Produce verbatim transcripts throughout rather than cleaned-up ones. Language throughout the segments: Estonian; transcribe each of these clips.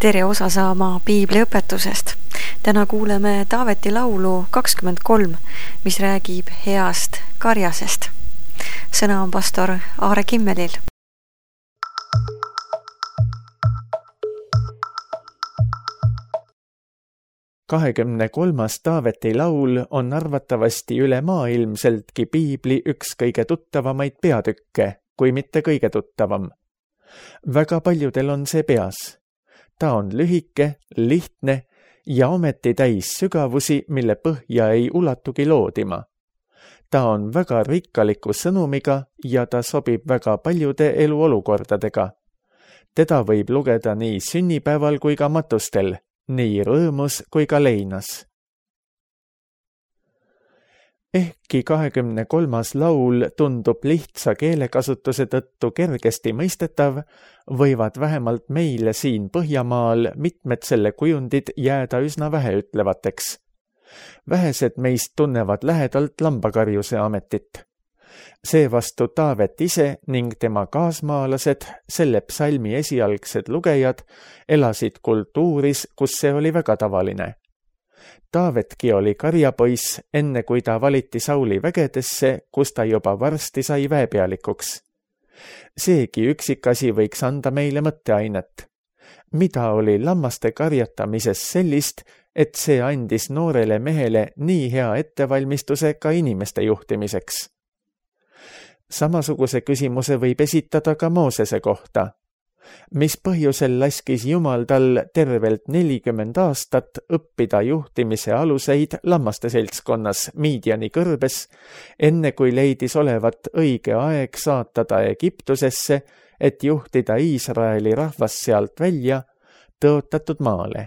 tere osa saama piibliõpetusest. Täna kuuleme Taaveti laulu kakskümmend kolm, mis räägib heast karjasest. Sõna on pastor Aare Kimmelil. kahekümne kolmas Taaveti laul on arvatavasti üle maailmseltki piibli üks kõige tuttavamaid peatükke, kui mitte kõige tuttavam. Väga paljudel on see peas. Ta on lühike, lihtne ja ometi täis sügavusi, mille põhja ei ulatugi loodima. Ta on väga rikkaliku sõnumiga ja ta sobib väga paljude eluolukordadega. Teda võib lugeda nii sünnipäeval kui ka matustel, nii rõõmus kui ka leinas. Ehkki kahekümne kolmas laul tundub lihtsa keelekasutuse tõttu kergesti mõistetav, võivad vähemalt meile siin Põhjamaal mitmed selle kujundid jääda üsna väheütlevateks. Vähesed meist tunnevad lähedalt lambakarjuse ametit. Seevastu Taavet ise ning tema kaasmaalased, selle psalmi esialgsed lugejad, elasid kultuuris, kus see oli väga tavaline. Taavetki oli karjapoiss, enne kui ta valiti Sauli vägedesse, kus ta juba varsti sai väepealikuks. Seegi üksikasi võiks anda meile mõtteainet. Mida oli lammaste karjatamises sellist, et see andis noorele mehele nii hea ettevalmistuse ka inimeste juhtimiseks? Samasuguse küsimuse võib esitada ka Moosese kohta. Mis põhjusel laskis Jumal tal tervelt nelikümmend aastat õppida juhtimise aluseid lammaste seltskonnas Midiani kõrbes, enne kui leidis olevat õige aeg saata ta Egiptusesse, et juhtida Iisraeli rahvas sealt välja tõotatud maale.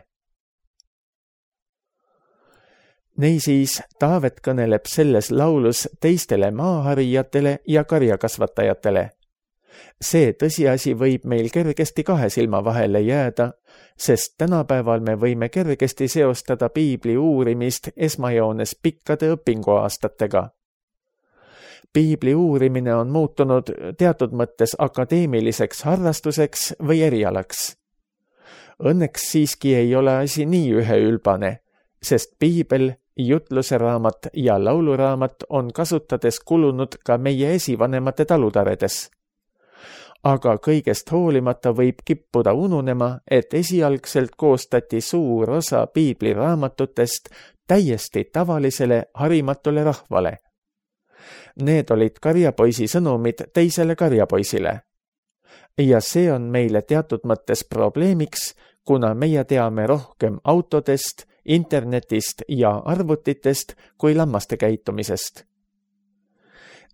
Neisiis, Taavet kõneleb selles laulus teistele maaharijatele ja karjakasvatajatele. See tõsiasi võib meil kergesti kahe silma vahele jääda, sest tänapäeval me võime kergesti seostada piibli uurimist esmajoones pikkade õpinguaastatega. Piibli uurimine on muutunud teatud mõttes akadeemiliseks harrastuseks või erialaks. Õnneks siiski ei ole asi nii üheülbane, sest piibel, jutluse raamat ja lauluraamat on kasutades kulunud ka meie esivanemate talutaredes. Aga kõigest hoolimata võib kippuda ununema, et esialgselt koostati suur osa piibliraamatutest täiesti tavalisele harimatule rahvale. Need olid karjapoisi sõnumid teisele karjapoisile. Ja see on meile teatud mõttes probleemiks, kuna meie teame rohkem autodest, internetist ja arvutitest kui lammaste käitumisest.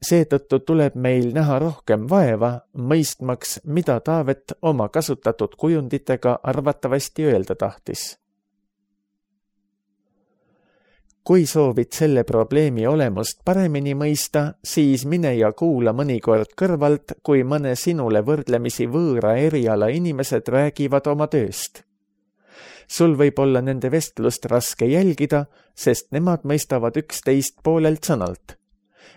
Seetõttu tuleb meil näha rohkem vaeva, mõistmaks, mida Taavet oma kasutatud kujunditega arvatavasti öelda tahtis. Kui soovid selle probleemi olemust paremini mõista, siis mine ja kuula mõnikord kõrvalt, kui mõne sinule võrdlemisi võõra eriala inimesed räägivad oma tööst. Sul võib olla nende vestlust raske jälgida, sest nemad mõistavad üksteist poolelt sõnalt.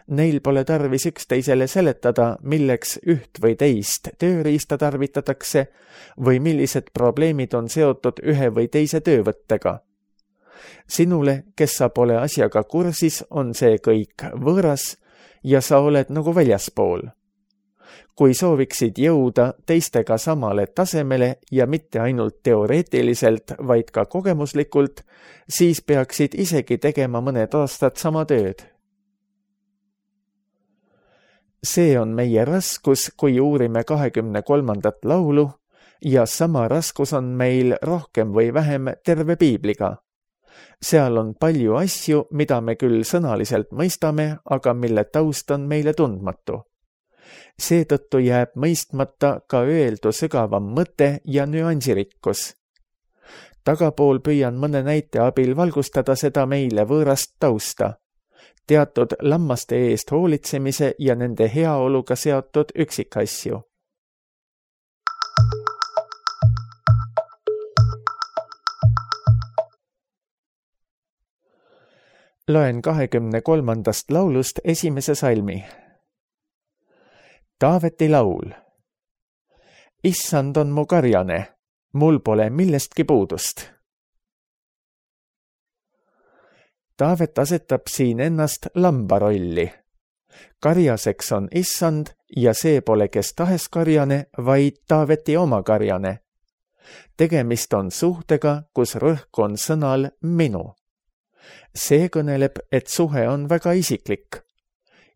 Neil pole tarvis üksteisele seletada, milleks üht või teist tööriista tarvitatakse või millised probleemid on seotud ühe või teise töövõttega. Sinule, kes sa pole asjaga kursis, on see kõik võõras ja sa oled nagu väljaspool. Kui sooviksid jõuda teistega samale tasemele ja mitte ainult teoreetiliselt, vaid ka kogemuslikult, siis peaksid isegi tegema mõned aastad sama tööd. See on meie raskus, kui uurime kahekümne kolmandat laulu ja sama raskus on meil rohkem või vähem terve piibliga. Seal on palju asju, mida me küll sõnaliselt mõistame, aga mille taust on meile tundmatu. Seetõttu jääb mõistmata ka öeldu sügavam mõte ja nüansirikkus. Tagapool püüan mõne näite abil valgustada seda meile võõrast tausta. Teatud lammaste eest hoolitsemise ja nende heaoluga seotud üksikasju. Loen kahekümne kolmandast laulust esimese salmi. Taaveti laul. Issand on mu karjane, mul pole millestki puudust. Taavet asetab siin ennast lamba rolli. Karjaseks on issand ja see pole kes tahes karjane, vaid Taaveti oma karjane. Tegemist on suhtega, kus rõhk on sõnal minu. See kõneleb, et suhe on väga isiklik.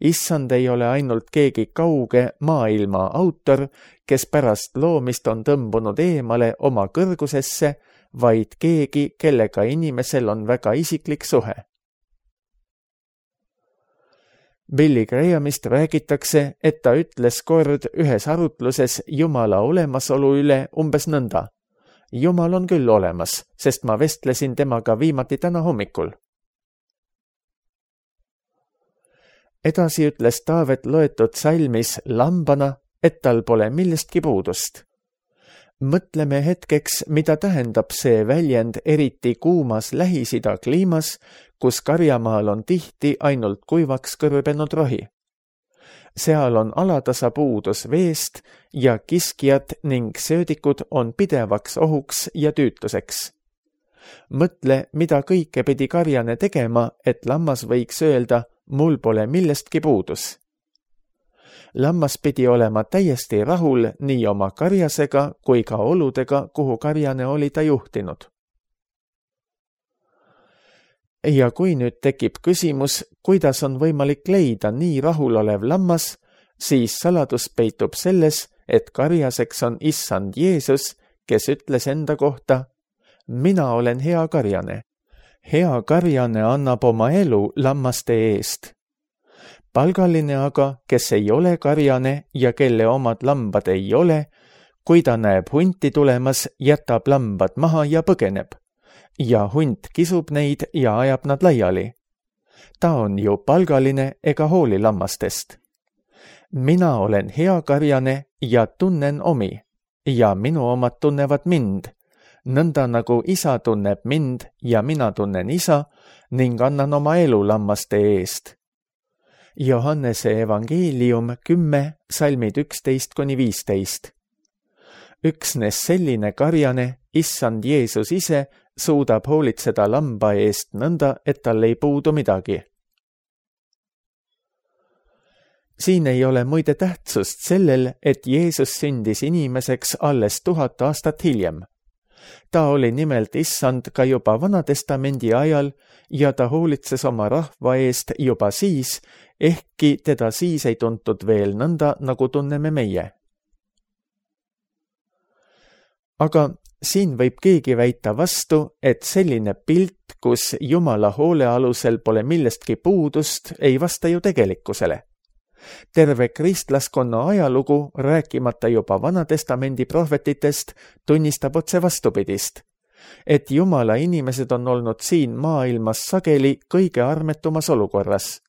Issand ei ole ainult keegi kauge maailma autor, kes pärast loomist on tõmbunud eemale oma kõrgusesse, vaid keegi, kellega inimesel on väga isiklik suhe. Billy Grahamist räägitakse, et ta ütles kord ühes arutluses Jumala olemasolu üle umbes nõnda. Jumal on küll olemas, sest ma vestlesin temaga viimati täna hommikul. Edasi ütles Taavet loetud salmis lambana, et tal pole millestki puudust. Mõtleme hetkeks, mida tähendab see väljend eriti kuumas Lähis-Ida kliimas, kus karjamaal on tihti ainult kuivaks kõrbenud rohi. Seal on alatasa puudus veest ja kiskjad ning söödikud on pidevaks ohuks ja tüütuseks. Mõtle, mida kõike pidi karjane tegema, et lammas võiks öelda, mul pole millestki puudus. Lammas pidi olema täiesti rahul nii oma karjasega kui ka oludega, kuhu karjane oli ta juhtinud. Ja kui nüüd tekib küsimus, kuidas on võimalik leida nii rahulolev lammas, siis saladus peitub selles, et karjaseks on issand Jeesus, kes ütles enda kohta, mina olen hea karjane. Hea karjane annab oma elu lammaste eest. Palgaline aga, kes ei ole karjane ja kelle omad lambad ei ole, kui ta näeb hunti tulemas, jätab lambad maha ja põgeneb. Ja hunt kisub neid ja ajab nad laiali. Ta on ju palgaline ega hooli lammastest. Mina olen hea karjane ja tunnen omi ja minu omad tunnevad mind, nõnda nagu isa tunneb mind ja mina tunnen isa ning annan oma elu lammaste eest. Johannese evangeelium kümme, salmid üksteist kuni viisteist. Üksnes selline karjane, issand Jeesus ise, suudab hoolitseda lamba eest nõnda, et tal ei puudu midagi. Siin ei ole muide tähtsust sellel, et Jeesus sündis inimeseks alles tuhat aastat hiljem. Ta oli nimelt issand ka juba Vanatestamendi ajal ja ta hoolitses oma rahva eest juba siis, ehkki teda siis ei tuntud veel nõnda, nagu tunneme meie. Aga siin võib keegi väita vastu, et selline pilt, kus Jumala hoole alusel pole millestki puudust, ei vasta ju tegelikkusele. Terve kristlaskonna ajalugu, rääkimata juba Vanatestamendi prohvetitest, tunnistab otse vastupidist, et Jumala inimesed on olnud siin maailmas sageli kõige armetumas olukorras.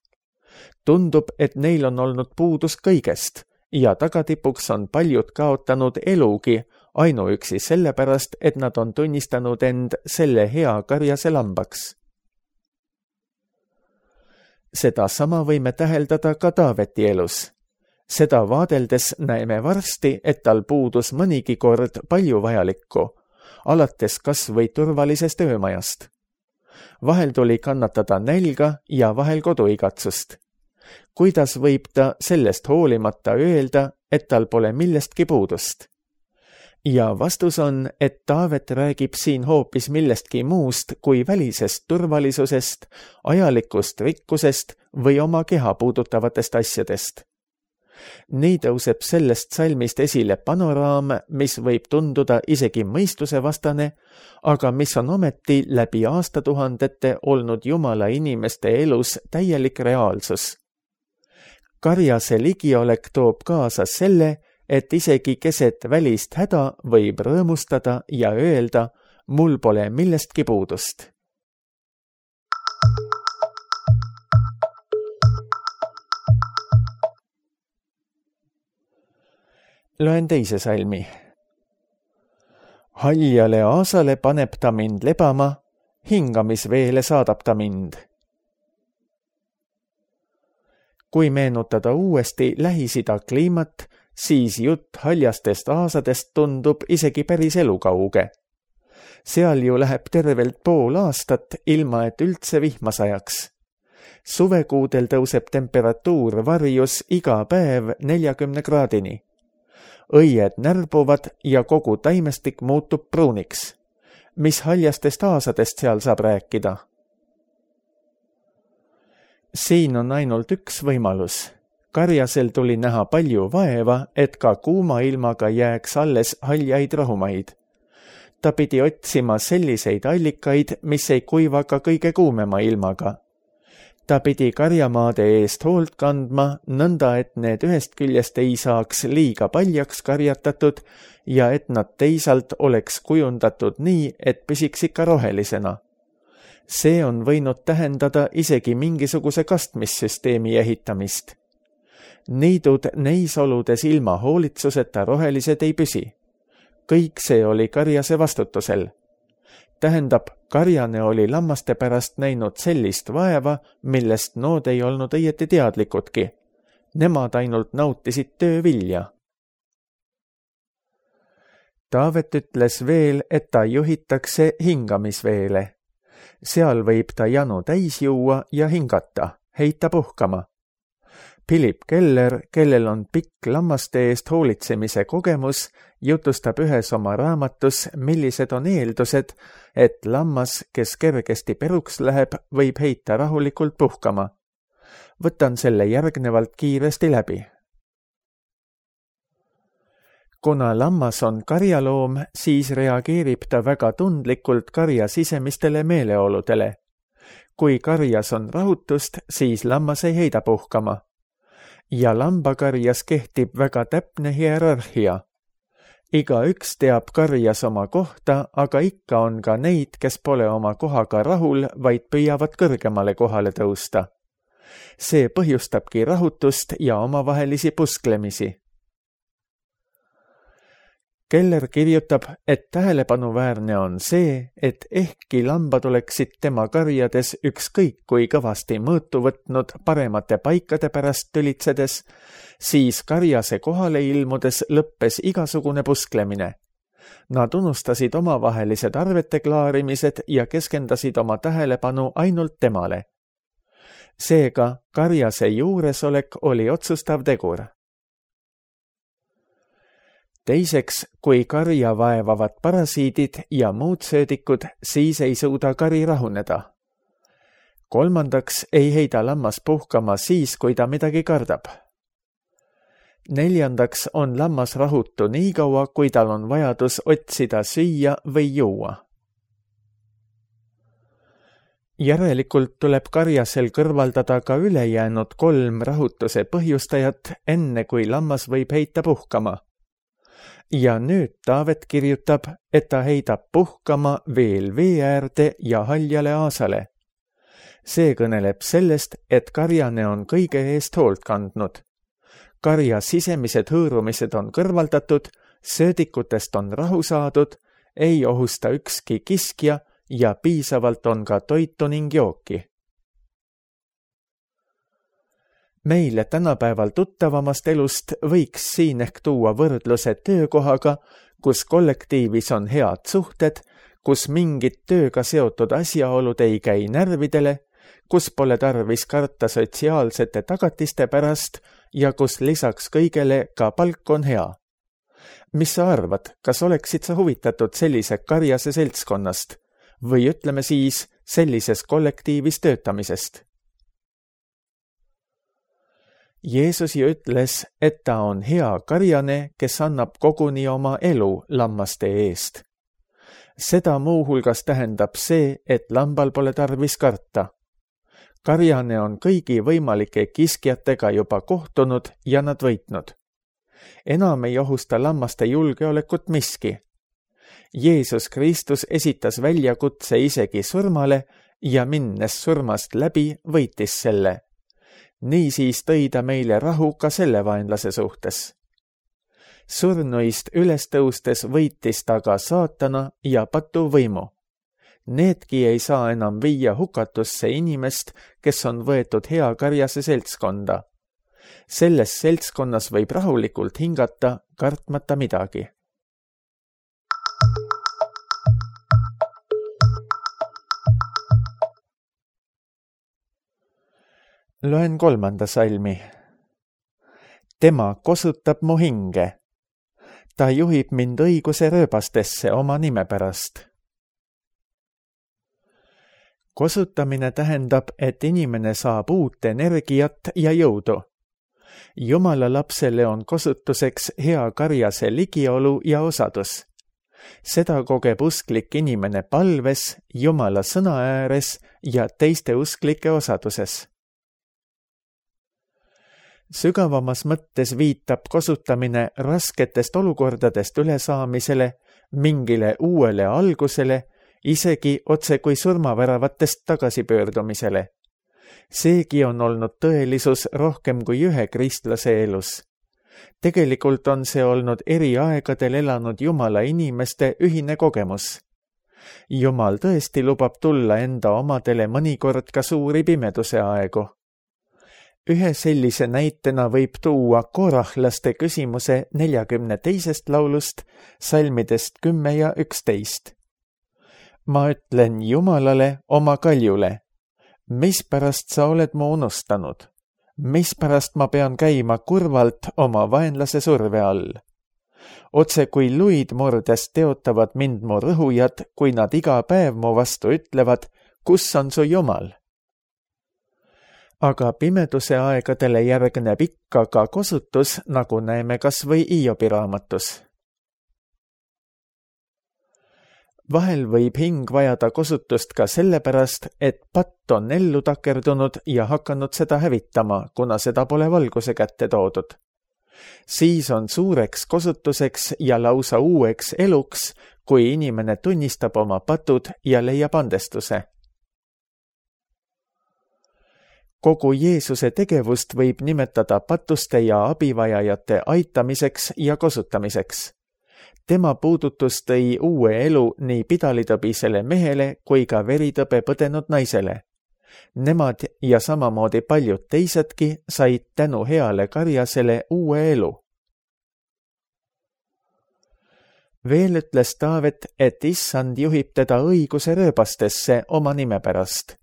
Tundub, et neil on olnud puudus kõigest ja tagatipuks on paljud kaotanud elugi ainuüksi sellepärast, et nad on tunnistanud end selle hea karjase lambaks. Seda sama võime täheldada ka Taaveti elus. Seda vaadeldes näeme varsti, et tal puudus mõnigi kord palju vajalikku, alates kas või turvalisest öömajast. Vahel tuli kannatada nälga ja vahel koduigatsust. Kuidas võib ta sellest hoolimata öelda, et tal pole millestki puudust? Ja vastus on, et Taavet räägib siin hoopis millestki muust kui välisest turvalisusest, ajalikust rikkusest või oma keha puudutavatest asjadest. Nii tõuseb sellest salmist esile panoraam, mis võib tunduda isegi mõistusevastane, aga mis on ometi läbi aastatuhandete olnud Jumala inimeste elus täielik reaalsus. Karjase ligiolek toob kaasa selle, et isegi keset välist häda võib rõõmustada ja öelda, mul pole millestki puudust. Loen teise salmi. Haljale aasale paneb ta mind lebama, hingamisveele saadab ta mind. Kui meenutada uuesti Lähis-Ida kliimat, siis jutt haljastest aasadest tundub isegi päris elukauge. Seal ju läheb tervelt pool aastat, ilma et üldse vihma sajaks. Suvekuudel tõuseb temperatuur varjus iga päev neljakümne kraadini. Õied närbuvad ja kogu taimestik muutub pruuniks. Mis haljastest aasadest seal saab rääkida? Siin on ainult üks võimalus. Karjasel tuli näha palju vaeva, et ka kuuma ilmaga jääks alles haljaid rahumaid. Ta pidi otsima selliseid allikaid, mis ei kuiva ka kõige kuumema ilmaga. Ta pidi karjamaade eest hoolt kandma, nõnda et need ühest küljest ei saaks liiga paljaks karjatatud ja et nad teisalt oleks kujundatud nii, et püsiks ikka rohelisena. See on võinud tähendada isegi mingisuguse kastmissüsteemi ehitamist. Niidud neis oludes ilma hoolitsuseta rohelised ei püsi. Kõik see oli karjase vastutusel. Tähendab, karjane oli lammaste pärast näinud sellist vaeva, millest nood ei olnud õieti teadlikudki. Nemad ainult nautisid töövilja. Taavet ütles veel, et ta juhitakse hingamisveele. Seal võib ta janu täis juua ja hingata, heita puhkama. Philip Keller, kellel on pikk lammaste eest hoolitsemise kogemus, jutustab ühes oma raamatus, millised on eeldused, et lammas, kes kergesti peruks läheb, võib heita rahulikult puhkama. Võtan selle järgnevalt kiiresti läbi. Kuna lammas on karjaloom, siis reageerib ta väga tundlikult karja sisemistele meeleoludele. Kui karjas on rahutust, siis lammas ei heida puhkama. Ja lambakarjas kehtib väga täpne hierarhia. Iga üks teab karjas oma kohta, aga ikka on ka neid, kes pole oma kohaga rahul, vaid püüavad kõrgemale kohale tõusta. See põhjustabki rahutust ja omavahelisi pusklemisi. Keller kirjutab, et tähelepanuväärne on see, et ehkki lambad oleksid tema karjades ükskõik kui kõvasti mõõtu võtnud paremate paikade pärast tülitsedes, siis karjase kohale ilmudes lõppes igasugune pusklemine. Nad unustasid omavahelised arvete klaarimised ja keskendasid oma tähelepanu ainult temale. Seega karjase juuresolek oli otsustav tegur. Teiseks, kui karja vaevavad parasiidid ja muud söödikud, siis ei suuda kari rahuneda. Kolmandaks ei heida lammas puhkama siis, kui ta midagi kardab. Neljandaks on lammas rahutu nii kaua, kui tal on vajadus otsida süüa või juua. Järelikult tuleb karjasel kõrvaldada ka ülejäänud kolm rahutuse põhjustajat, enne kui lammas võib heita puhkama. Ja nüüd Taavet kirjutab, et ta heidab puhkama veel vee äärde ja haljale aasale. See kõneleb sellest, et karjane on kõige eest hoolt kandnud. Karja sisemised hõõrumised on kõrvaldatud, söödikutest on rahu saadud, ei ohusta ükski kiskja ja piisavalt on ka toitu ning jooki. Meile tänapäeval tuttavamast elust võiks siin ehk tuua võrdluse töökohaga, kus kollektiivis on head suhted, kus mingid tööga seotud asjaolud ei käi närvidele, kus pole tarvis karta sotsiaalsete tagatiste pärast ja kus lisaks kõigele ka palk on hea. Mis sa arvad, kas oleksid sa huvitatud sellise karjase seltskonnast või ütleme siis sellises kollektiivis töötamisest? Jeesus ju ütles, et ta on hea karjane, kes annab koguni oma elu lammaste eest. Seda muuhulgas tähendab see, et lambal pole tarvis karta. Karjane on kõigi võimalike kiskjatega juba kohtunud ja nad võitnud. Enam ei ohusta lammaste julgeolekut miski. Jeesus Kristus esitas väljakutse isegi surmale ja minnes surmast läbi võitis selle. Niisiis tõi ta meile rahu ka selle vaenlase suhtes. Surnuist üles tõustes võitis ta ka saatana ja patu võimu. Needki ei saa enam viia hukatusse inimest, kes on võetud hea karjase seltskonda. selles seltskonnas võib rahulikult hingata, kartmata midagi. Loen kolmanda salmi. Tema kosutab mu hinge. Ta juhib mind õiguse rööbastesse oma nime pärast. Kosutamine tähendab, et inimene saab uut energiat ja jõudu. Jumala lapsele on kosutuseks hea karjase ligiolu ja osadus. Seda kogeb usklik inimene palves, Jumala sõna ääres ja teiste usklike osaduses. Sügavamas mõttes viitab kosutamine rasketest olukordadest ülesaamisele, mingile uuele algusele, isegi otse kui surmaväravatest tagasipöördumisele. Seegi on olnud tõelisus rohkem kui ühe kristlase elus. Tegelikult on see olnud eri aegadel elanud Jumala inimeste ühine kogemus. Jumal tõesti lubab tulla enda omadele mõnikord ka suuri pimeduse aegu. Ühe sellise näitena võib tuua korahlaste küsimuse neljakümne teisest laulust, salmidest kümme ja üksteist. Ma ütlen Jumalale oma kaljule, mispärast sa oled mu unustanud? Mispärast ma pean käima kurvalt oma vaenlase surve all? Otse kui luid murdes teotavad mind mu rõhujad, kui nad iga päev mu vastu ütlevad, kus on su Jumal? Aga pimeduse aegadele järgneb ikka ka kosutus, nagu näeme kas või Hiobi raamatus. Vahel võib hing vajada kosutust ka sellepärast, et patt on ellu takerdunud ja hakanud seda hävitama, kuna seda pole valguse kätte toodud. Siis on suureks kosutuseks ja lausa uueks eluks, kui inimene tunnistab oma patud ja leiab andestuse. Kogu Jeesuse tegevust võib nimetada patuste ja abivajajate aitamiseks ja kosutamiseks. Tema puudutus tõi uue elu nii pidalitõbisele mehele kui ka veritõbe põdenud naisele. Nemad ja samamoodi paljud teisedki said tänu heale karjasele uue elu. Veel ütles Taavet, et issand juhib teda õiguse rööbastesse oma nime pärast.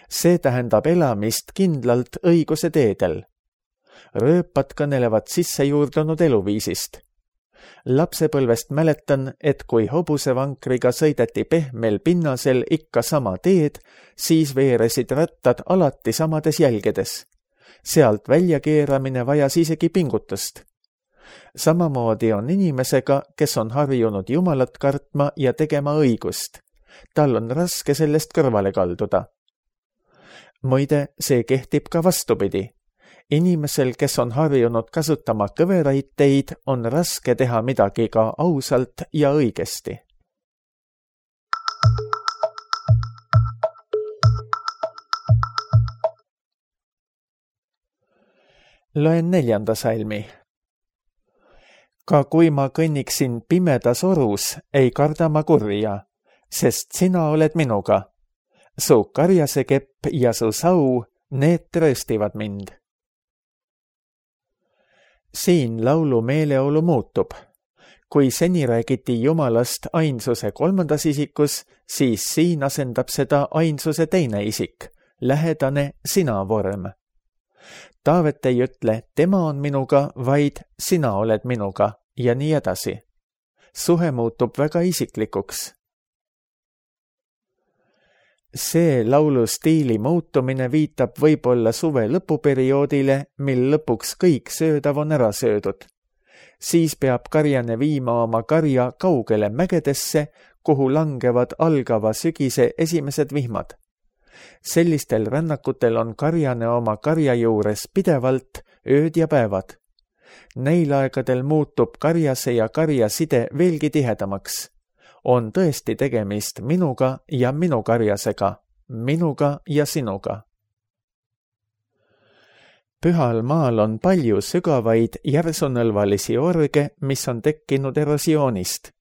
See tähendab elamist kindlalt õiguse teedel. Rööpad kõnelevad sissejuurdunud eluviisist. Lapsepõlvest mäletan, et kui hobusevankriga sõideti pehmel pinnasel ikka sama teed, siis veeresid rattad alati samades jälgedes. Sealt väljakeeramine vajas isegi pingutust. Samamoodi on inimesega, kes on harjunud Jumalat kartma ja tegema õigust. Tal on raske sellest kõrvale kalduda. Muide, see kehtib ka vastupidi. Inimesel, kes on harjunud kasutama kõveraid teid, on raske teha midagi ka ausalt ja õigesti. Loen neljanda salmi. Ka kui ma kõnniksin pimedas orus, ei karda ma kurja, sest sina oled minuga. Su karjasekepp ja su sau, need trööstivad mind. Siin laulu meeleolu muutub. Kui seni räägiti Jumalast ainsuse kolmandas isikus, siis siin asendab seda ainsuse teine isik, lähedane sina vorm. Taavet ei ütle, tema on minuga, vaid sina oled minuga ja nii edasi. Suhe muutub väga isiklikuks. See laulu stiili muutumine viitab võib-olla suve lõpuperioodile, mil lõpuks kõik söödav on ära söödud. Siis peab karjane viima oma karja kaugele mägedesse, kuhu langevad algava sügise esimesed vihmad. Sellistel rännakutel on karjane oma karja juures pidevalt ööd ja päevad. Neil aegadel muutub karjase ja karja side veelgi tihedamaks. On tõesti tegemist minuga ja minu karjasega, minuga ja sinuga. Pühal maal on palju sügavaid järsunõlvalisi orge, mis on tekkinud erosioonist.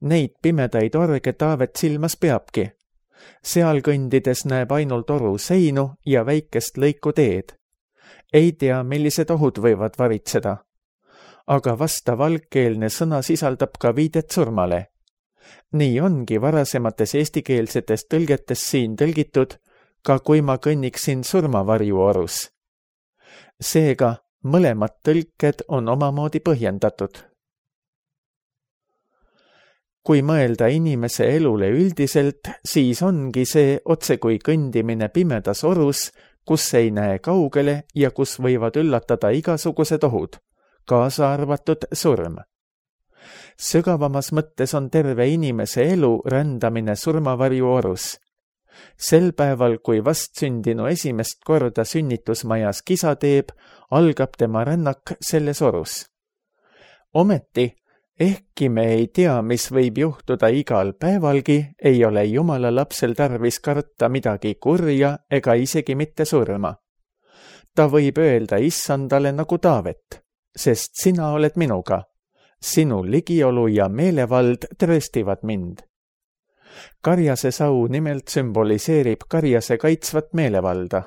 Neid pimedaid orge Taavet silmas peabki. Seal kõndides näeb ainult oru seinu ja väikest lõiku teed. ei tea, millised ohud võivad varitseda. Aga vastav algkeelne sõna sisaldab ka viidet surmale. Nii ongi varasemates eestikeelsetes tõlgetes siin tõlgitud ka kui ma kõnniksin surmavarjuorus. Seega mõlemad tõlked on omamoodi põhjendatud. Kui mõelda inimese elule üldiselt, siis ongi see otse kui kõndimine pimedas orus, kus ei näe kaugele ja kus võivad üllatada igasugused ohud, kaasa arvatud surm. Sügavamas mõttes on terve inimese elu rändamine surmavarjuorus. Sel päeval, kui vastsündinu esimest korda sünnitusmajas kisa teeb, algab tema rännak selles orus. Ometi, ehkki me ei tea, mis võib juhtuda igal päevalgi, ei ole Jumala lapsel tarvis karta midagi kurja ega isegi mitte surma. Ta võib öelda issandale nagu Taavet, sest sina oled minuga. Sinu ligiolu ja meelevald trööstivad mind. Karjase sau nimelt sümboliseerib karjase kaitsvat meelevalda.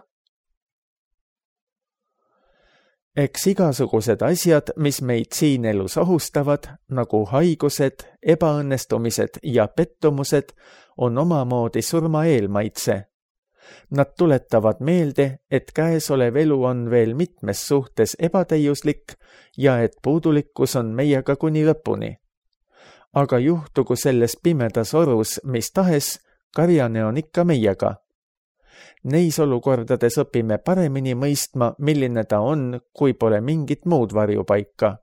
Eks igasugused asjad, mis meid siin elus ohustavad, nagu haigused, ebaõnnestumised ja pettumused, on omamoodi surma eelmaitse. Nad tuletavad meelde, et käesolev elu on veel mitmes suhtes ebatäiuslik ja et puudulikkus on meiega kuni lõpuni. Aga juhtugu selles pimedas orus, mis tahes, karjane on ikka meiega. Neis olukordades õpime paremini mõistma, milline ta on, kui pole mingit muud varjupaika.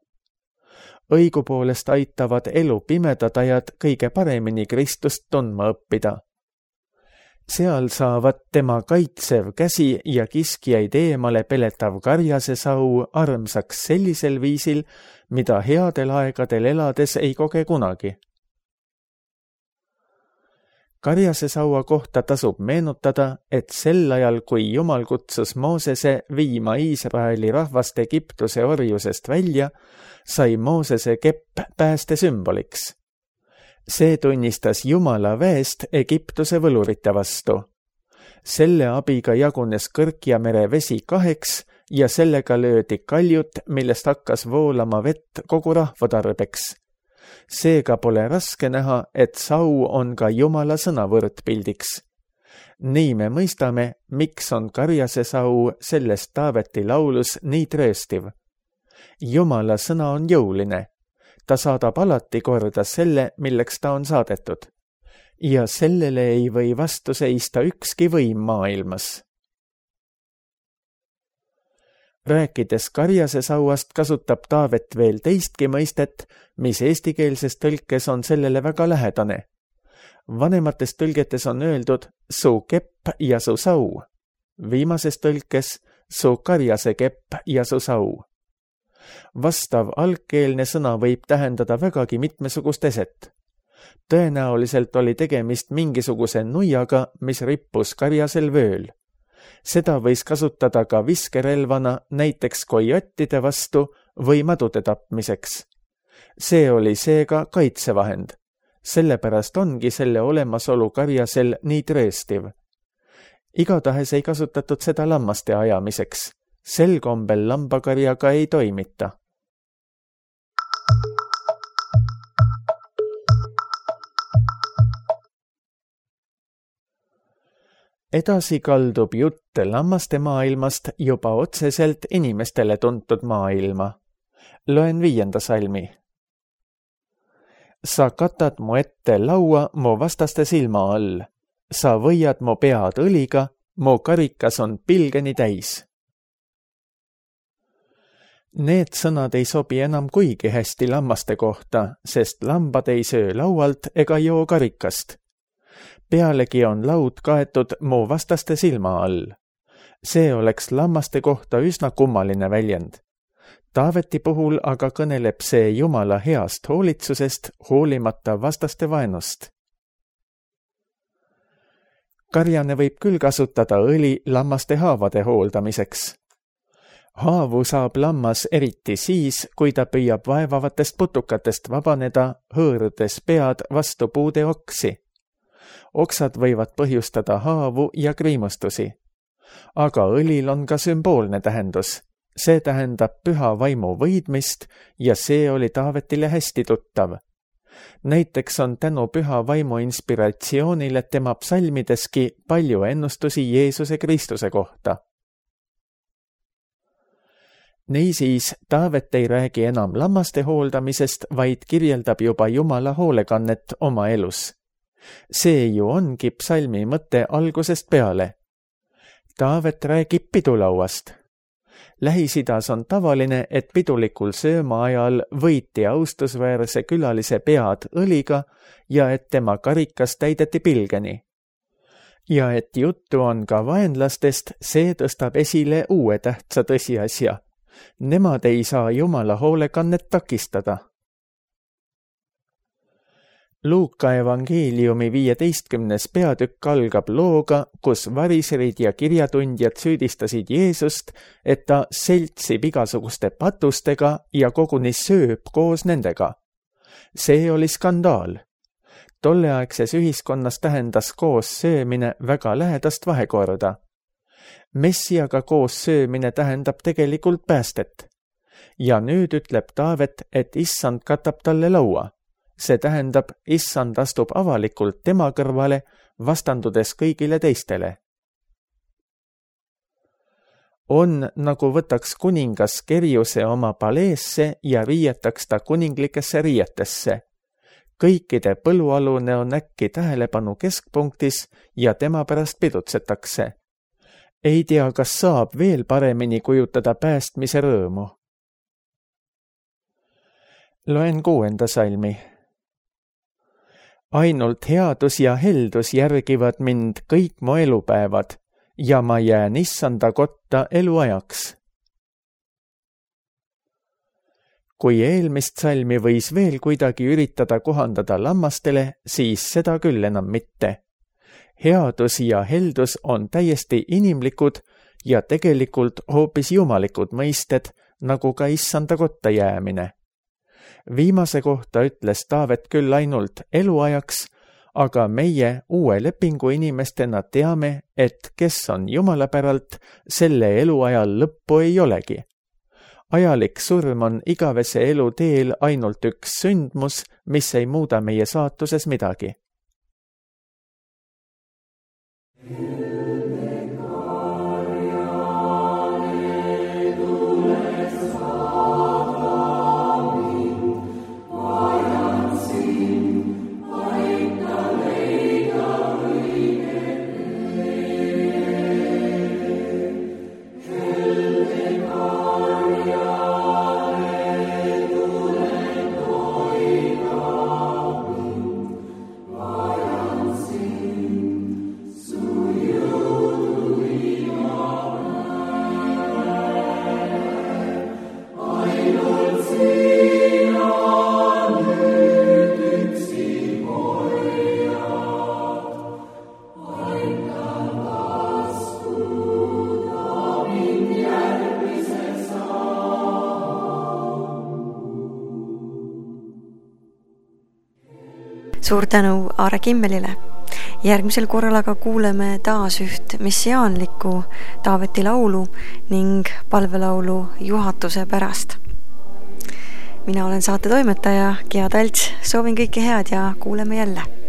Õigupoolest aitavad elu pimedad ajad kõige paremini Kristust tundma õppida. Seal saavad tema kaitsev käsi ja kiskjaid eemale peletav karjase sau armsaks sellisel viisil, mida headel aegadel elades ei koge kunagi. Karjase saua kohta tasub meenutada, et sel ajal, kui Jumal kutsus Moosese viima Iisraeli rahvast Egiptuse orjusest välja, sai Moosese kepp pääste sümboliks. See tunnistas Jumala väest Egiptuse võlurite vastu. Selle abiga jagunes Kõrkja mere vesi kaheks ja sellega löödi kaljut, millest hakkas voolama vett kogu rahva tarbeks. Seega pole raske näha, et sau on ka Jumala sõna võrdpildiks. Nii me mõistame, miks on karjase sau sellest Taaveti laulus nii trööstiv. Jumala sõna on jõuline. Ta saadab alati korda selle, milleks ta on saadetud. Ja sellele ei või vastu seista ükski võim maailmas. Rääkides karjase sauast kasutab Taavet veel teistki mõistet, mis eestikeelses tõlkes on sellele väga lähedane. Vanemates tõlgetes on öeldud su kepp ja su sau. Viimases tõlkes su karjase kepp ja su sau. Vastav algkeelne sõna võib tähendada vägagi mitmesugust eset. Tõenäoliselt oli tegemist mingisuguse nuiaga, mis rippus karjasel vööl. Seda võis kasutada ka viskerelvana näiteks kojottide vastu või madude tapmiseks. See oli seega kaitsevahend. Sellepärast ongi selle olemasolu karjasel nii trööstiv. Igatahes ei kasutatud seda lammaste ajamiseks. Sel kombel lambakarjaga ei toimita. Edasi kaldub jutt lammaste maailmast juba otseselt inimestele tuntud maailma. Loen viienda salmi. Sa katad mu ette laua mu vastaste silma all. Sa võiad mu pead õliga, mu karikas on pilgeni täis. Need sõnad ei sobi enam kuigi hästi lammaste kohta, sest lambad ei söö laualt ega joo karikast. Pealegi on laud kaetud mu vastaste silma all. See oleks lammaste kohta üsna kummaline väljend. Taaveti puhul aga kõneleb see Jumala heast hoolitsusest hoolimata vastaste vaenust. Karjane võib küll kasutada õli lammaste haavade hooldamiseks. Haavu saab lammas eriti siis, kui ta püüab vaevavatest putukatest vabaneda, hõõrudes pead vastu puude oksi. Oksad võivad põhjustada haavu ja kriimustusi. Aga õlil on ka sümboolne tähendus. see tähendab püha vaimu võidmist ja see oli Taavetile hästi tuttav. Näiteks on tänu püha vaimu inspiratsioonile tema psalmideski palju ennustusi Jeesuse Kristuse kohta. Niisiis, Taavet ei räägi enam lammaste hooldamisest, vaid kirjeldab juba Jumala hoolekannet oma elus. See ju ongi psalmi mõte algusest peale. Taavet räägib pidulauast. Lähis-Idas on tavaline, et pidulikul sööma ajal võiti austusväärse külalise pead õliga ja et tema karikas täideti pilgeni. Ja et juttu on ka vaenlastest, see tõstab esile uue tähtsa tõsiasja. Nemad ei saa Jumala hoolekannet takistada. Luuka evangeeliumi viieteistkümnes peatükk algab looga, kus variserid ja kirjatundjad süüdistasid Jeesust, et ta seltsib igasuguste patustega ja koguni sööb koos nendega. See oli skandaal. Tolleaegses ühiskonnas tähendas koos söömine väga lähedast vahekorda. Messiaga koos söömine tähendab tegelikult päästet. Ja nüüd ütleb Taavet, et issand katab talle laua. See tähendab, issand astub avalikult tema kõrvale, vastandudes kõigile teistele. On, nagu võtaks kuningas Kerjuse oma paleesse ja riietaks ta kuninglikesse riietesse. Kõikide põlualune on äkki tähelepanu keskpunktis ja tema pärast pidutsetakse. Ei tea, kas saab veel paremini kujutada päästmise rõõmu. Loen kuuenda salmi. Ainult headus ja heldus järgivad mind kõik mu elupäevad ja ma jään issanda kotta eluajaks. Kui eelmist salmi võis veel kuidagi üritada kohandada lammastele, siis seda küll enam mitte. Headus ja heldus on täiesti inimlikud ja tegelikult hoopis jumalikud mõisted, nagu ka issanda kotta jäämine. Viimase kohta ütles Taavet küll ainult eluajaks, aga meie uue lepingu inimestena teame, et kes on Jumala päralt, selle eluajal lõppu ei olegi. Ajalik surm on igavese elu teel ainult üks sündmus, mis ei muuda meie saatuses midagi. Suur tänu Aare Kimmelile. Järgmisel korral aga kuuleme taas üht messiaanlikku Taaveti laulu ning palvelaulu juhatuse pärast. Mina olen saate toimetaja Gea Talts, soovin kõike head ja kuuleme jälle.